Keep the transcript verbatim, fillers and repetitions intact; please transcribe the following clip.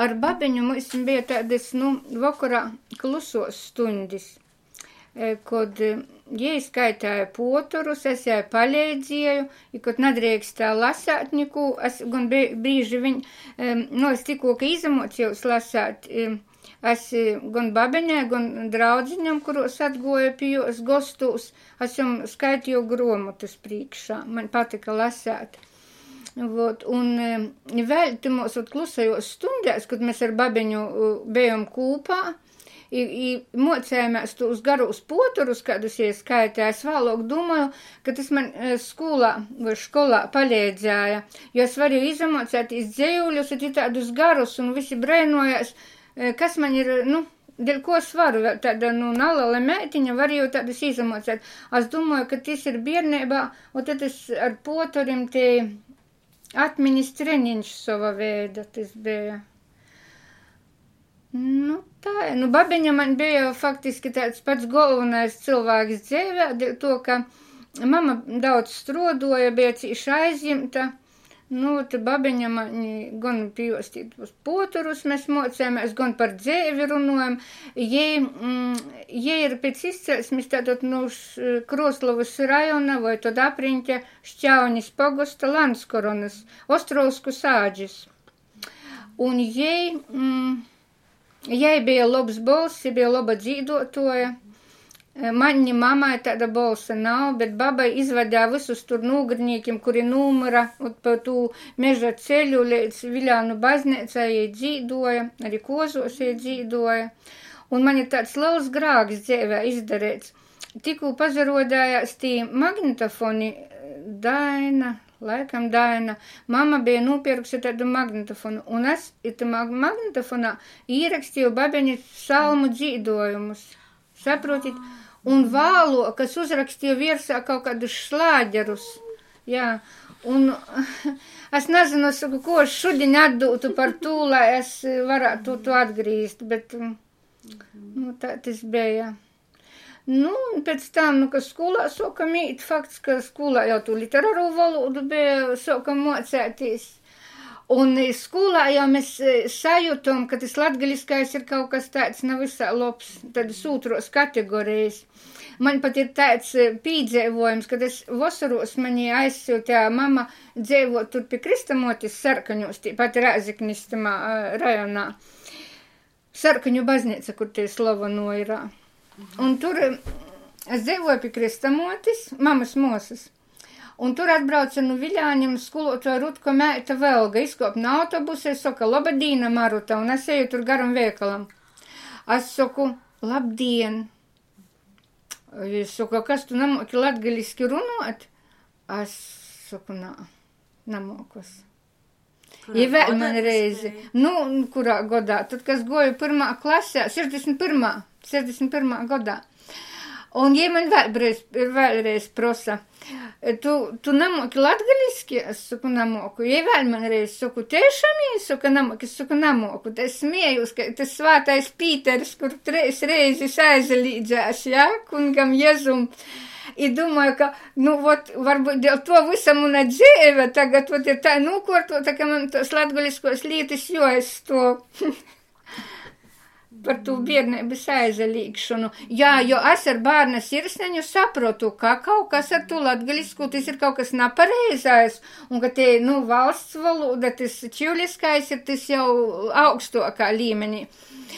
ar babeņu mums bija tādas, nu, vakarā klusos stundis, kod jei skaitāja poturus, es jai paleidzēju, i kod nadrīkstā lasāt niku, es gan brīži viņ, nu, es tikko, ka izamocījus lasāt, es gan babeņai, gan draudziņam, kuros atgoja pie jūs gostūs, es jums skaitīju gromotus priekšā, man patika lasāt. Vot, un vēl timos klusajos stundēs, kad mēs ar babeņu bijām kūpā, i, i mocējāmies tos garus poturus, kādus ieskaitē, es vēlāk domāju, ka tas man skolā vai školā palīdzēja, jo es varēju izamocētīs dzējuļus, un tādus garus, un visi brēnojās, kas man ir, nu, dēļ ko es varu, tāda, nu, nalala mētiņa varēju tādus izamocēt. Es domāju, ka tas ir biernībā, un tad es ar poturim te atmiņas treniņš sava veida, tas bija. Nu, tā, nu, babeņa man bija faktiski tāds pats galvenais cilvēks dzīvē, to, ka mama daudz strodoja, bija cīši aizjimta, nu, te babeņa mani gan pīvostīt uz poturus mēs mocējāmies, gan par dzēvi runojam, jei, mm, jei ir pēc izcelsmes tātad, nu, Kroslavas rajona vai tad apriņķa Šķaunis pogosta Landskoronas, Ostrovsku sāģis. Un jei, mm, jai bija labs balss, bija laba dzīdotoja. Mani mamai tāda balsa nav, bet babai izvadīja visus tur nūgrņīkiem, kuri numura pa tū meža ceļu līdz Viļānu baznīcai jai dzīdoja, arī Kozos jai dzīdoja. Un man ir tāds liels grāks dzīvē izdarīts. Tikko pazarodājās tī magnetofoni Daina, laikam Daina, mama bija nopirkusi tādu magnetofonu, un es itamā magnetofonā īrakstīju babeņu salmu dzīdojumus. Saprotit? Un vālo, kas uzrakstīja virsā kaut kādus šlāģerus. Jā, un es nezinu, saku, ko es šodien atdūtu par tū, lai es varētu to atgrīzt, bet, nu, tā tas bija. Nu, un pēc tam, nu, ka skolā sākam īt, fakts, ka skolā jau tu literāru valodu bija sākam mocētīs. Un skolā jau mēs sajūtam, ka tas latgaliskais ir kaut kas tāds nav visā labs, tādas otros kategorijas. Man pat ir tāds pīdzēvojums, kad es vasaros mani aizsūtīja mama dzēvot tur pie Kristamotis Sarkaņos, pat Rēzeknis tamā rajonā. Sarkaņu baznīca, kur tie slavano ir. Un tur es dzēvoju pie Kristamotis, mamas mosas. Un tur atbrauca no Viļāņiem skolotāja Rutko meita Velga, izkop no autobusa, es saku, labadīna, Maruta, un es eju tur garam veikalam. Es saku, labdien. Es saku, kas tu namoki latgaliski runāt? Es saku, nā, namokos. Ja vēl man reizi, nu, kurā godā, tad, kas goju pirmā klasē, sešdesmit pirmā, sešdesmit pirmā godā. Un, ja man vēlreiz, vēlreiz prosa, tu, tu namoki latgaliski? Es saku, namoku. Ja vēl man reiz saku, tiešām, es saku, namoki, es saku, namoku. Es smējos, ka tas svātais Pīters, kur treis reizes aizalīdzēs, ja, kungam Jezum. I domāju, ka, nu, vot, varbūt dēļ to visa muna dzīve tagad, vot, ir tā nūkortota, ka man tos latgaliskos lītis joaizstov. Par tū biernības aizalīgšanu. Jā, jo es ar bārna sirsneņu saprotu, ka kaut kas ar tū latgalisku, tas ir kaut kas nepareizais, un ka te, nu, valsts valoda, tas čiuliskais ir tas jau augstokā līmenī.